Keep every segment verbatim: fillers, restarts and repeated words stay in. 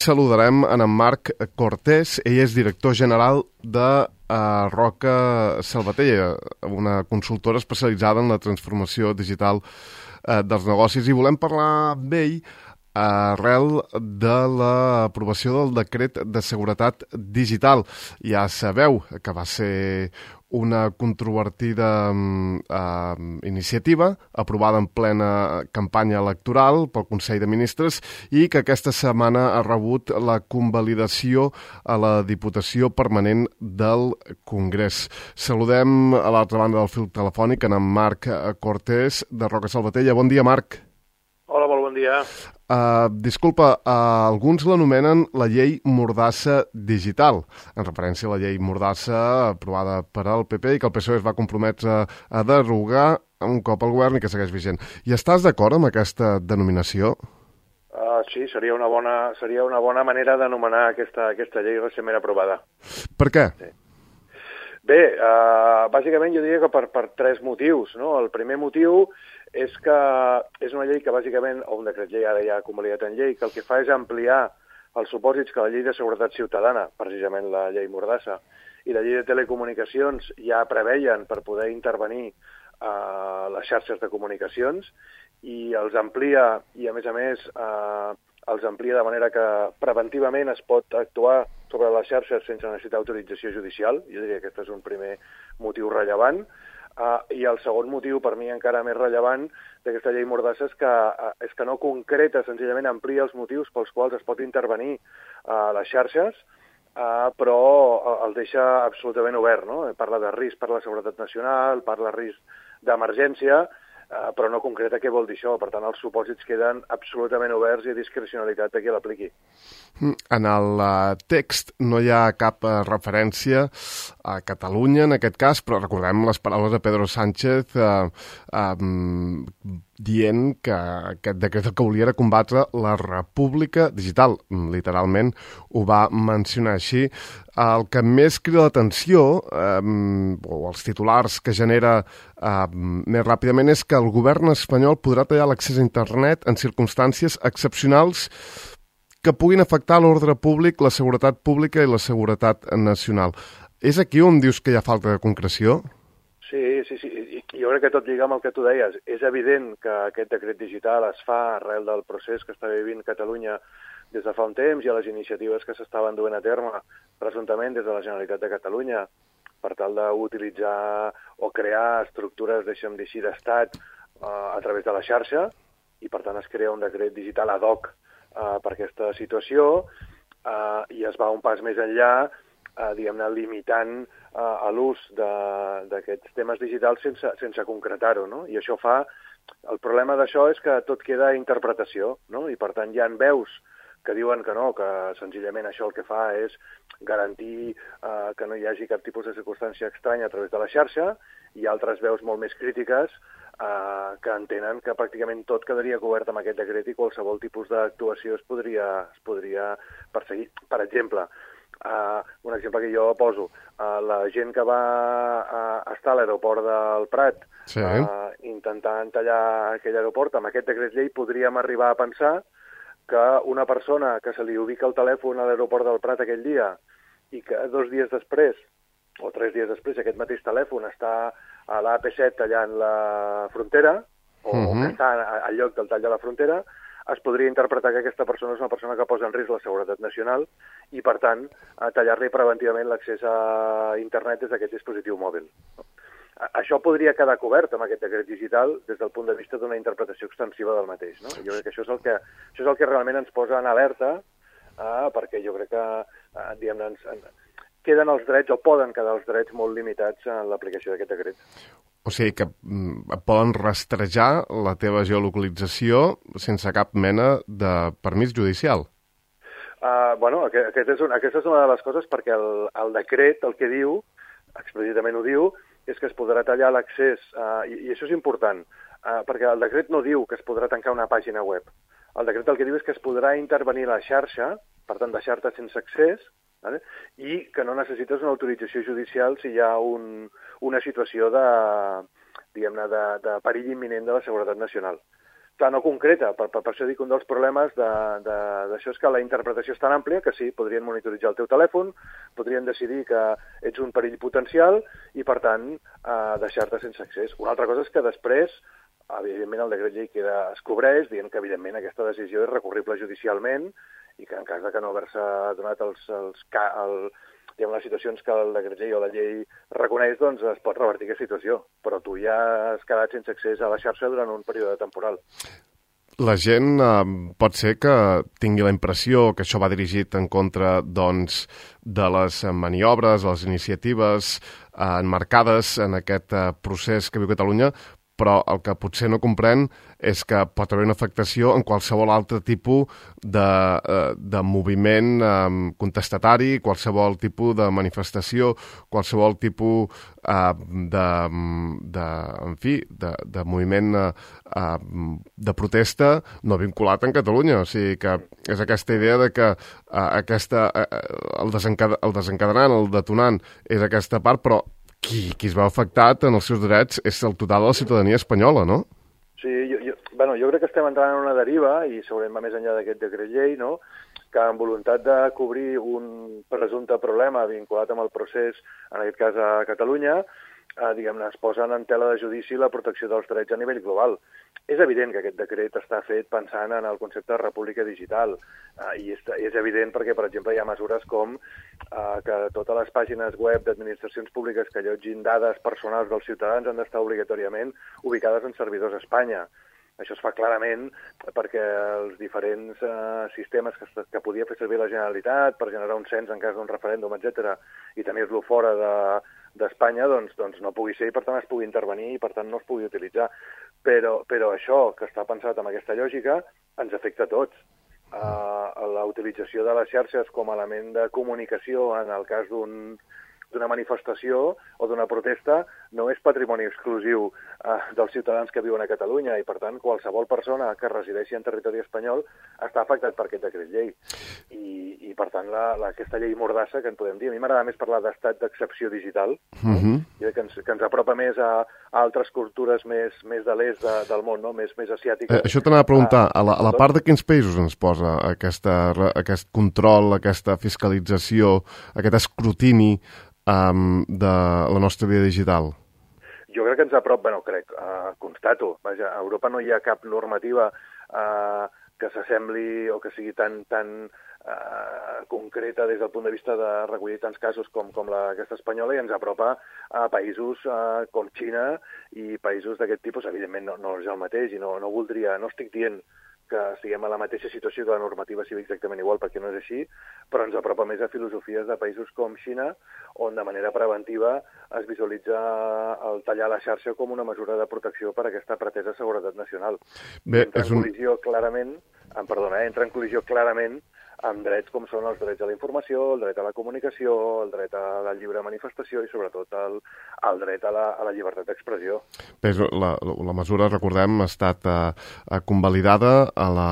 Saludarem en en Marc Cortés. Ell és director general de uh, Roca Salvatella, una consultora especialitzada en la transformació digital uh, dels negocis, i volem parlar amb ell arrel de l'aprovació del decret de seguretat digital. Ja sabeu que va ser una controvertida eh, iniciativa aprovada en plena campanya electoral pel Consell de Ministres i que aquesta setmana ha rebut la convalidació a la Diputació Permanent del Congrés. Saludem a l'altra banda del fil telefònic en Marc Cortés de Roca Salvatella. Bon dia, Marc. Hola, molt bon dia. Uh, disculpa, uh, alguns l'anomenen la llei Mordassa digital, en referència a la llei Mordassa aprovada per al P P i que el P S O E es va comprometre a, a derogar un cop al govern i que segueix vigent. I estàs d'acord amb aquesta denominació? Uh, sí, seria una bona, seria una bona manera d'anomenar aquesta, aquesta llei recentment aprovada. Per què? Sí. Bé, uh, bàsicament jo diria que per, per tres motius, no? El primer motiu és que és una llei que bàsicament, o un decret llei ara ja convalidat en llei, que el que fa és ampliar els supòsits que la llei de seguretat ciutadana, precisament la llei Mordassa, i la llei de telecomunicacions ja preveien per poder intervenir a uh, les xarxes de comunicacions, i els amplia, i a més a més uh, els amplia de manera que preventivament es pot actuar sobre les xarxes sense necessitar autorització judicial. Jo diria que aquest és un primer motiu rellevant. Uh, I el segon motiu, per mi encara més rellevant, d'aquesta llei Mordassa és que, uh, és que no concreta, senzillament amplia els motius pels quals es pot intervenir a uh, les xarxes, uh, però uh, els deixa absolutament obert, no? Parla de risc per la seguretat nacional, parla de risc d'emergència, uh, però no concreta què vol dir això. Per tant, els supòsits queden absolutament oberts i a discrecionalitat de qui l'apliqui. En el uh, text no hi ha cap uh, referència a Catalunya, en aquest cas, però recordem les paraules de Pedro Sánchez uh, um, dient que aquest decret el que volia era combatre la república digital. Literalment ho va mencionar així. El que més crida l'atenció, um, o els titulars que genera um, més ràpidament, és que el govern espanyol podrà tallar l'accés a internet en circumstàncies excepcionals que puguin afectar l'ordre públic, la seguretat pública i la seguretat nacional. És aquí on dius que hi ha falta de concreció? Sí, sí, sí. I jo crec que tot lliga amb el que tu deies. És evident que aquest decret digital es fa arrel del procés que està vivint Catalunya des de fa un temps i a les iniciatives que s'estaven duent a terme presumptament des de la Generalitat de Catalunya per tal d'utilitzar o crear estructures, deixa'm dir així, d'estat uh, a través de la xarxa, i per tant es crea un decret digital ad hoc Uh, per aquesta situació uh, i es va un pas més enllà, uh, diguem-ne, limitant uh, a l'ús d'aquests temes digitals sense, sense concretar-ho, no? I això fa... El problema d'això és que tot queda a interpretació, no? I per tant hi ha veus que diuen que no, que senzillament això el que fa és garantir uh, que no hi hagi cap tipus de circumstància estranya a través de la xarxa, i altres veus molt més crítiques Uh, que entenen que pràcticament tot quedaria cobert amb aquest decret i qualsevol tipus d'actuació es podria, es podria perseguir. Per exemple, uh, un exemple que jo poso, uh, la gent que va uh, estar a l'aeroport del Prat sí. uh, intentant tallar aquell aeroport, amb aquest decret llei podríem arribar a pensar que una persona que se li ubica el telèfon a l'aeroport del Prat aquell dia i que dos dies després o tres dies després aquest mateix telèfon està a l'A P set tallant la frontera, o uh-huh. que està al lloc del tall de la frontera, es podria interpretar que aquesta persona és una persona que posa en risc la seguretat nacional i, per tant, tallar-li preventivament l'accés a internet des d'aquest dispositiu mòbil. Això podria quedar cobert amb aquest decret digital des del punt de vista d'una interpretació extensiva del mateix, no? Jo crec que això és el que, això és el que realment ens posa en alerta, eh, perquè jo crec que, eh, diguem-ne, ens... queden els drets, o poden quedar els drets molt limitats en l'aplicació d'aquest decret. O sigui que mm, poden rastrejar la teva geolocalització sense cap mena de permís judicial. Uh, bueno, aquest, aquest és un, aquesta és una de les coses perquè el, el decret el que diu, explícitament ho diu, és que es podrà tallar l'accés, uh, i, i això és important, uh, perquè el decret no diu que es podrà tancar una pàgina web. El decret el que diu és que es podrà intervenir la xarxa, per tant deixar-te sense accés, vale? I que no necessites una autorització judicial si hi ha un, una situació de, diguem-ne, de, de perill imminent de la seguretat nacional. clar, no concreta. Per, per, per això dic que un dels problemes d'això és que la interpretació és tan àmplia que sí, podrien monitoritzar el teu telèfon, podrien decidir que ets un perill potencial i, per tant, eh, deixar-te sense accés. Una altra cosa és que després, evidentment, el decret llei queda, es cobreix, dient que, evidentment, aquesta decisió és recurrible judicialment i que en cas de que no haver-se donat els, els, el, diguem, les situacions que el decret llei o la llei reconeix, doncs es pot revertir aquesta situació. Però tu ja has quedat sense accés a la xarxa durant un període temporal. La gent eh, pot ser que tingui la impressió que això va dirigit en contra, doncs, de les maniobres, les iniciatives eh, enmarcades en aquest eh, procés que viu Catalunya, però el que potser no comprèn és que pot haver una afectació en qualsevol altre tipus de, de moviment contestatari, qualsevol tipus de manifestació, qualsevol tipus de, de, en fi, de, de moviment de protesta no vinculat en Catalunya. O sigui que és aquesta idea de que aquesta, el, desencad, el desencadenant, el detonant, és aquesta part, però Qui, qui es va afectat en els seus drets és el total de la ciutadania espanyola, no? Sí, jo, jo, bueno, jo crec que estem entrant en una deriva, i segurament va més enllà d'aquest decret llei, no? Que amb voluntat de cobrir un presumpte problema vinculat amb el procés, en aquest cas a Catalunya, eh, diguem-ne, es posen en tela de judici la protecció dels drets a nivell global. És evident que aquest decret està fet pensant en el concepte de república digital, eh, i és, és evident perquè, per exemple, hi ha mesures com eh, que totes les pàgines web d'administracions públiques que allotgin dades personals dels ciutadans han d'estar obligatòriament ubicades en servidors a Espanya. Això es fa clarament perquè els diferents eh, sistemes que, que podia fer servir la Generalitat per generar un cens en cas d'un referèndum, etcètera, i tenir-lo fora de, d'Espanya, doncs, doncs no pugui ser i per tant es pugui intervenir i per tant no es pugui utilitzar. Però, però això, que està pensat amb aquesta lògica, ens afecta a tots. Uh, la utilització de les xarxes com a element de comunicació en el cas d'un d'una manifestació o d'una protesta no és patrimoni exclusiu eh, dels ciutadans que viuen a Catalunya i, per tant, qualsevol persona que resideixi en territori espanyol està afectat per aquest decret llei. I, i per tant, la, la, aquesta llei mordassa, que en podem dir, a mi m'agrada més parlar d'estat d'excepció digital, uh-huh. que, ens, que ens apropa més a, a altres cultures més, més de l'est de, del món, no? més, més asiàtiques. Eh, això t'anava a preguntar, a la, a la part de quins països ens posa aquesta, aquest control, aquesta fiscalització, aquest escrutini Um, de la nostra vida digital? Jo crec que ens apropa, bueno, crec, uh, constato, vaja, a Europa no hi ha cap normativa uh, que s'assembli o que sigui tan, tan uh, concreta des del punt de vista de recollir tants casos com, com la, aquesta espanyola, i ens apropa a països uh, com Xina i països d'aquest tipus. Evidentment no, no és el mateix i no, no voldria, no estic dient que estiguem a la mateixa situació que la normativa sigui exactament igual, perquè no és així, però ens apropa més a filosofies de països com Xina, on de manera preventiva es visualitza el tallar la xarxa com una mesura de protecció per a aquesta pretesa seguretat nacional. Bé, entra en col·lisió un... clarament, em perdona, eh, entra en col·lisió clarament amb drets com són els drets a la informació, el dret a la comunicació, el dret a la lliure manifestació i, sobretot, el, el dret a la, a la llibertat d'expressió. Bé, la, la mesura, recordem, ha estat uh, convalidada a, la,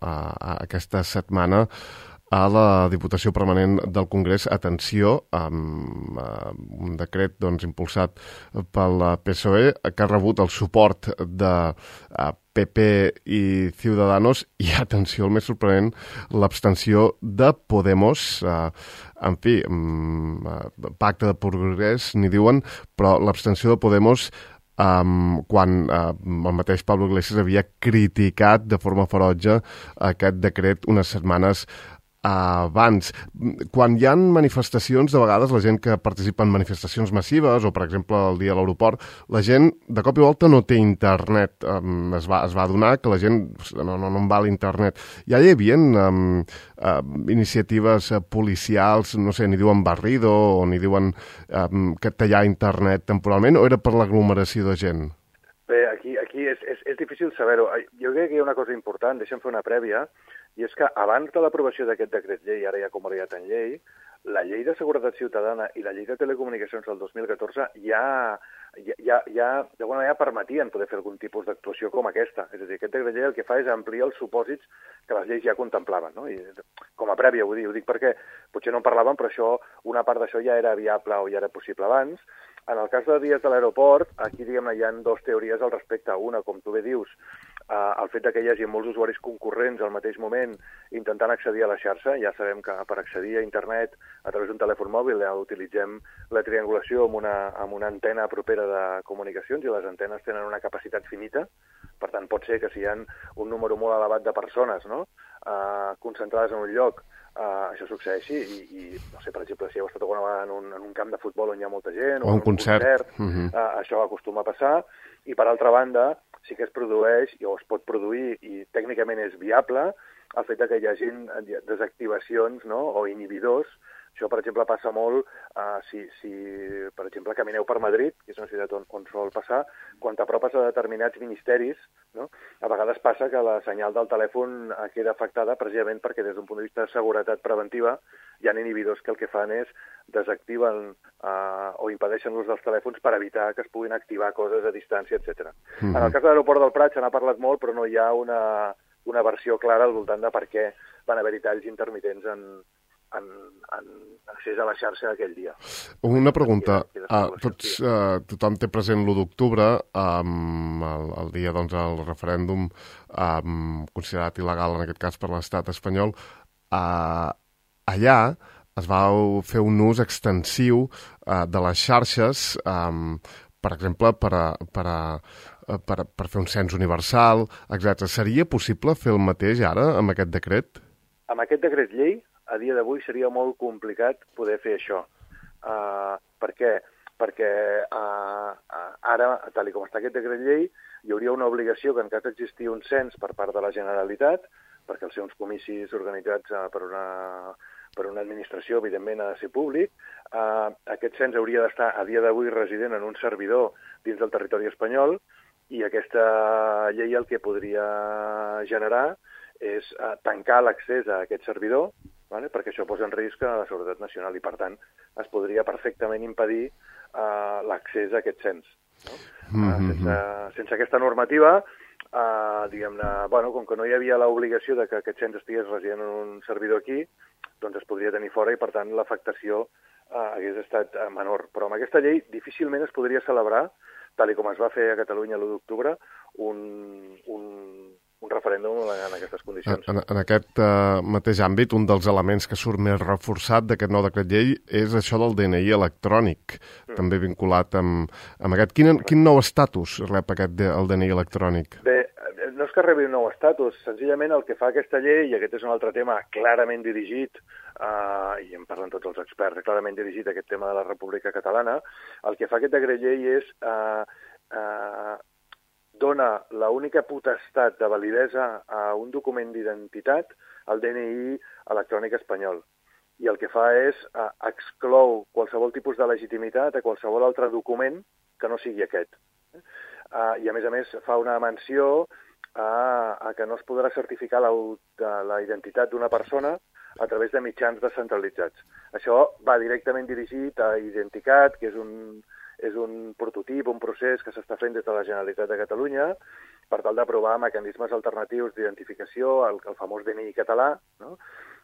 a, a aquesta setmana a la Diputació Permanent del Congrés. Atenció, amb uh, un decret doncs, impulsat pel P S O E que ha rebut el suport de uh, P P i Ciudadanos i, atenció, el més sorprenent, l'abstenció de Podemos. Uh, en fi, um, uh, pacte de progrés, n'hi diuen, però l'abstenció de Podemos Um, quan uh, el mateix Pablo Iglesias havia criticat de forma ferotge aquest decret unes setmanes abans. Quan hi ha manifestacions, de vegades la gent que participa en manifestacions massives, o per exemple el dia a l'aeroport, la gent de cop i volta no té internet. Um, es, va, es va adonar que la gent no, no, no en va l'internet. Ja hi havia um, uh, iniciatives uh, policials, no sé, n'hi diuen barrido o n'hi diuen um, que tallar internet temporalment, o era per l'aglomeració de gent? Bé, aquí, aquí és, és, és difícil saber-ho. Jo crec que hi ha una cosa important, deixa'm fer una prèvia, i és que abans de l'aprovació d'aquest decret llei, ara ja convalidat en llei, la llei de seguretat ciutadana i la llei de telecomunicacions del dos mil catorze ja, ja, ja, ja d'alguna manera permetien poder fer algun tipus d'actuació com aquesta. És a dir, aquest decret llei el que fa és ampliar els supòsits que les lleis ja contemplaven, no? I com a prèvia, ho dic, ho dic perquè potser no en parlàvem, però això, una part d'això ja era viable o ja era possible abans. En el cas de dies de l'aeroport, aquí, diguem-ne, hi ha dues teories al respecte. Una, com tu bé dius, Uh, el fet que hi hagi molts usuaris concurrents al mateix moment intentant accedir a la xarxa, ja sabem que per accedir a internet a través d'un telèfon mòbil ja utilitzem la triangulació amb una, amb una antena propera de comunicacions i les antenes tenen una capacitat finita, per tant pot ser que si hi ha un número molt elevat de persones, no?, uh, concentrades en un lloc, uh, això succeeixi i, i, no sé, per exemple, si heu estat alguna vegada en un, en un camp de futbol on hi ha molta gent o, o un concert, concert uh -huh. uh, això acostuma a passar, i per altra banda sí que es produeix, o es pot produir, i tècnicament és viable, el fet que hi hagi desactivacions, no?, o inhibidors. Això, per exemple, passa molt uh, si, si, per exemple, camineu per Madrid, que és una ciutat on, on sol passar, quan t'apropes a determinats ministeris, no?, a vegades passa que la senyal del telèfon queda afectada precisament perquè des d'un punt de vista de seguretat preventiva hi ha inhibidors que el que fan és desactiven uh, o impedeixen l'ús dels telèfons per evitar que es puguin activar coses a distància, etcètera. Mm-hmm. En el cas de l'aeroport del Prat se n'ha parlat molt, però no hi ha una, una versió clara al voltant de per què van haver-hi talls intermitents en, en, en accés a la xarxa aquell dia. Una pregunta. Uh, tots, uh, tothom té present l'u d'octubre, um, el, el dia doncs, el referèndum um, considerat il·legal, en aquest cas, per l'estat espanyol. Uh, allà es va fer un ús extensiu uh, de les xarxes, um, per exemple, per, a, per, a, per, a, per fer un cens universal, etcètera. Seria possible fer el mateix ara amb aquest decret? Amb aquest decret llei, a dia d'avui seria molt complicat poder fer això. Uh, per què? Perquè uh, uh, ara, tal com està aquest decret llei, hi hauria una obligació que en cas d'existir un cens per part de la Generalitat, perquè els seus comicis organitzats uh, per, una, per una administració, evidentment, ha de ser públic, uh, aquest cens hauria d'estar a dia d'avui resident en un servidor dins del territori espanyol, i aquesta llei el que podria generar és uh, tancar l'accés a aquest servidor, vale? Perquè això posa en risc a la seguretat nacional i, per tant, es podria perfectament impedir uh, l'accés a aquest cens. No? Mm-hmm. uh, sense, sense aquesta normativa, uh, diguem-ne, bueno, com que no hi havia l'obligació de que aquest cens estigués resident en un servidor aquí, doncs es podria tenir fora i, per tant, l'afectació uh, hagués estat uh, menor. Però amb aquesta llei difícilment es podria celebrar, tal com es va fer a Catalunya l'u d'octubre, un, un, un referèndum en aquestes condicions. En, en aquest uh, mateix àmbit, un dels elements que surt més reforçat d'aquest nou decret llei és això del D N I electrònic, mm. també vinculat amb, amb aquest. Quin, quin nou estatus rep aquest, el D N I electrònic? Bé, no és que rebi un nou estatus, senzillament el que fa aquesta llei, i aquest és un altre tema clarament dirigit, uh, i en parlen tots els experts, clarament dirigit a aquest tema de la República Catalana, el que fa aquest decret llei és uh, uh, dona l'única potestat de validesa a un document d'identitat al D N I electrònic espanyol. I el que fa és uh, exclou qualsevol tipus de legitimitat a qualsevol altre document que no sigui aquest. Uh, I, a més a més, fa una menció a, a que no es podrà certificar la, la identitat d'una persona a través de mitjans descentralitzats. Això va directament dirigit a Identicat, que és un, és un prototip, un procés que s'està fent des de la Generalitat de Catalunya per tal d'aprovar mecanismes alternatius d'identificació, el, el famós D N I català, no?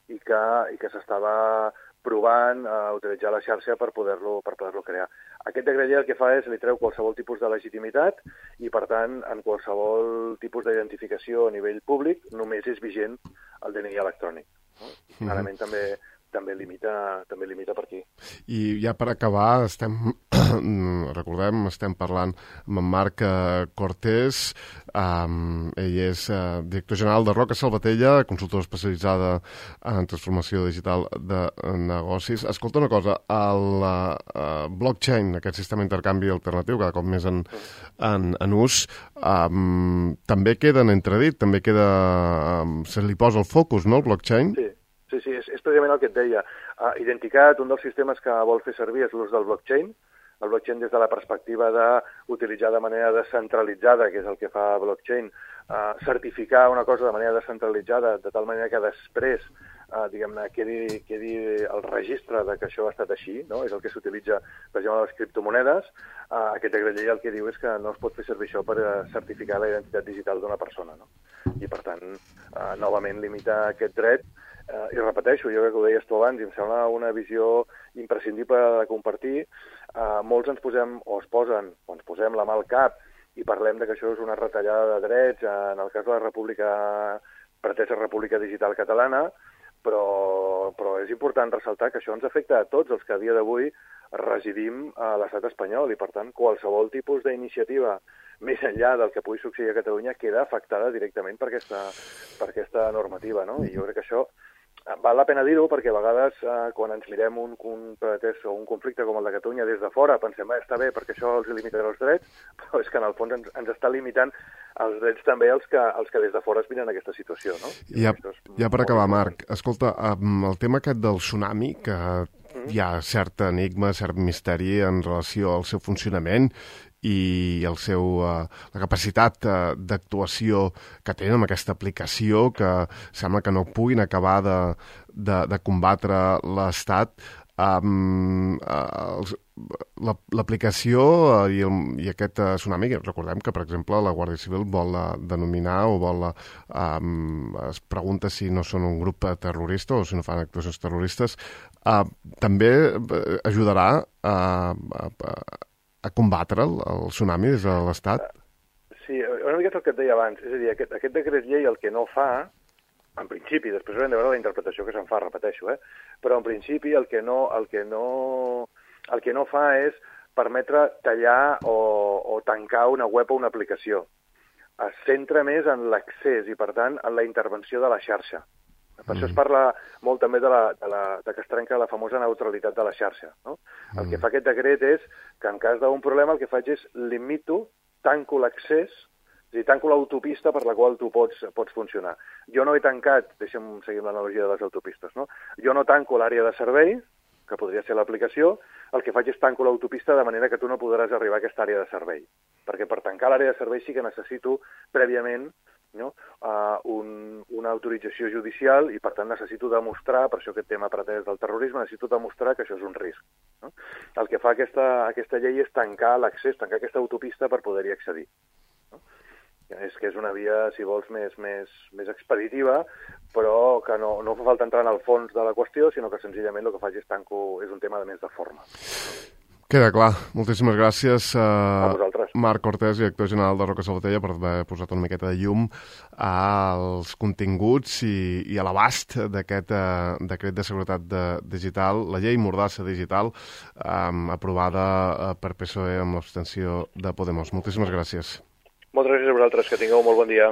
i que, i que s'estava provant a utilitzar la xarxa per poder-lo per poder-lo crear. Aquest decret llei el que fa és li treu qualsevol tipus de legitimitat i, per tant, en qualsevol tipus d'identificació a nivell públic només és vigent el D N I electrònic. No? I clarament mm-hmm. també també limita, també limita per aquí. I ja per acabar, estem, recordem, estem parlant amb en Marc Cortés, um, ell és uh, director general de Roca Salvatella, consultora especialitzada en transformació digital de negocis. Escolta una cosa, el uh, blockchain, aquest sistema d'intercanvi alternatiu, cada cop més en, en, en ús, um, també queda en entredit, també queda, um, se li posa el focus, no, el blockchain? Sí. Sí, sí, és, és precisament el que et deia. Uh, Identicat, un dels sistemes que vol fer servir és l'ús del blockchain. El blockchain des de la perspectiva d'utilitzar de manera descentralitzada, que és el que fa blockchain, uh, certificar una cosa de manera descentralitzada, de tal manera que després uh, diguem-ne, quedi, quedi el registre de que això ha estat així, no? És el que s'utilitza, per exemple, a les criptomonedes. Uh, aquest decret llei el que diu és que no es pot fer servir això per uh, certificar la identitat digital d'una persona, no? I, per tant, uh, novament limita aquest dret. Uh, I repeteixo, jo crec que ho deies tu abans, i em sembla una visió imprescindible de compartir. Uh, molts ens posem, o es posen, o ens posem la mà al cap, i parlem de que això és una retallada de drets en el cas de la República, pretesa República Digital Catalana, però, però és important ressaltar que això ens afecta a tots els que a dia d'avui residim a l'estat espanyol i, per tant, qualsevol tipus d'iniciativa més enllà del que pugui succeir a Catalunya queda afectada directament per aquesta, per aquesta normativa, no? I jo crec que això val la pena dir-ho perquè a vegades eh, quan ens mirem un, un pretès o un conflicte com el de Catalunya des de fora pensem que eh, està bé perquè això els limitarà els drets, però és que en el fons ens, ens està limitant els drets també els que, els que des de fora es miren aquesta situació, no? Ja, ja per acabar, Marc, escolta, el tema aquest del tsunami, que hi ha cert enigma, cert misteri en relació al seu funcionament i el seu, uh, la capacitat uh, d'actuació que tenen amb aquesta aplicació, que sembla que no puguin acabar de, de, de combatre l'Estat. Um, uh, l'aplicació uh, i, el, i aquest uh, tsunami, recordem que, per exemple, la Guàrdia Civil vol uh, denominar o vol uh, um, es pregunta si no són un grup terrorista o si no fan actuacions terroristes, uh, també ajudarà a, a, a combatre el, el tsunami des de l'Estat? Sí, una mica el que et deia abans, és a dir, aquest, aquest decret llei el que no fa, en principi, després haurem de veure la interpretació que se'n fa, repeteixo, eh? Però en principi el que no, el que no, el que no fa és permetre tallar o, o tancar una web o una aplicació. Es centra més en l'accés i, per tant, en la intervenció de la xarxa. Per mm. això es parla molt també de, la, de, la, de que es trenca la famosa neutralitat de la xarxa, no? Mm. El que fa aquest decret és que en cas d'un problema el que faig és limito, tanco l'accés, és a dir, tanco l'autopista per la qual tu pots, pots funcionar. Jo no he tancat, deixem seguir l'analogia de les autopistes, no? Jo no tanco l'àrea de servei, que podria ser l'aplicació, el que faig és tanco l'autopista de manera que tu no podràs arribar a aquesta àrea de servei. Perquè per tancar l'àrea de servei sí que necessito prèviament no? uh, un, una autorització judicial i, per tant, necessito demostrar, per això aquest tema pretès del terrorisme, necessito demostrar que això és un risc. No? El que fa aquesta, aquesta llei és tancar l'accés, tancar aquesta autopista per poder-hi accedir. No? És que és una via, si vols, més, més, més expeditiva, però que no, no fa falta entrar en el fons de la qüestió, sinó que senzillament el que faig és tanco, és un tema de més de forma. Queda clar. Moltíssimes gràcies uh, a vosaltres. Marc Cortés, director general de Roca Salvatella, per haver posat una miqueta de llum als continguts i, i a l'abast d'aquest uh, decret de seguretat de, digital, la llei Mordassa digital, um, aprovada uh, per P S O E amb l'abstenció de Podemos. Moltíssimes gràcies. Moltes gràcies a vosaltres, que tingueu un molt bon dia.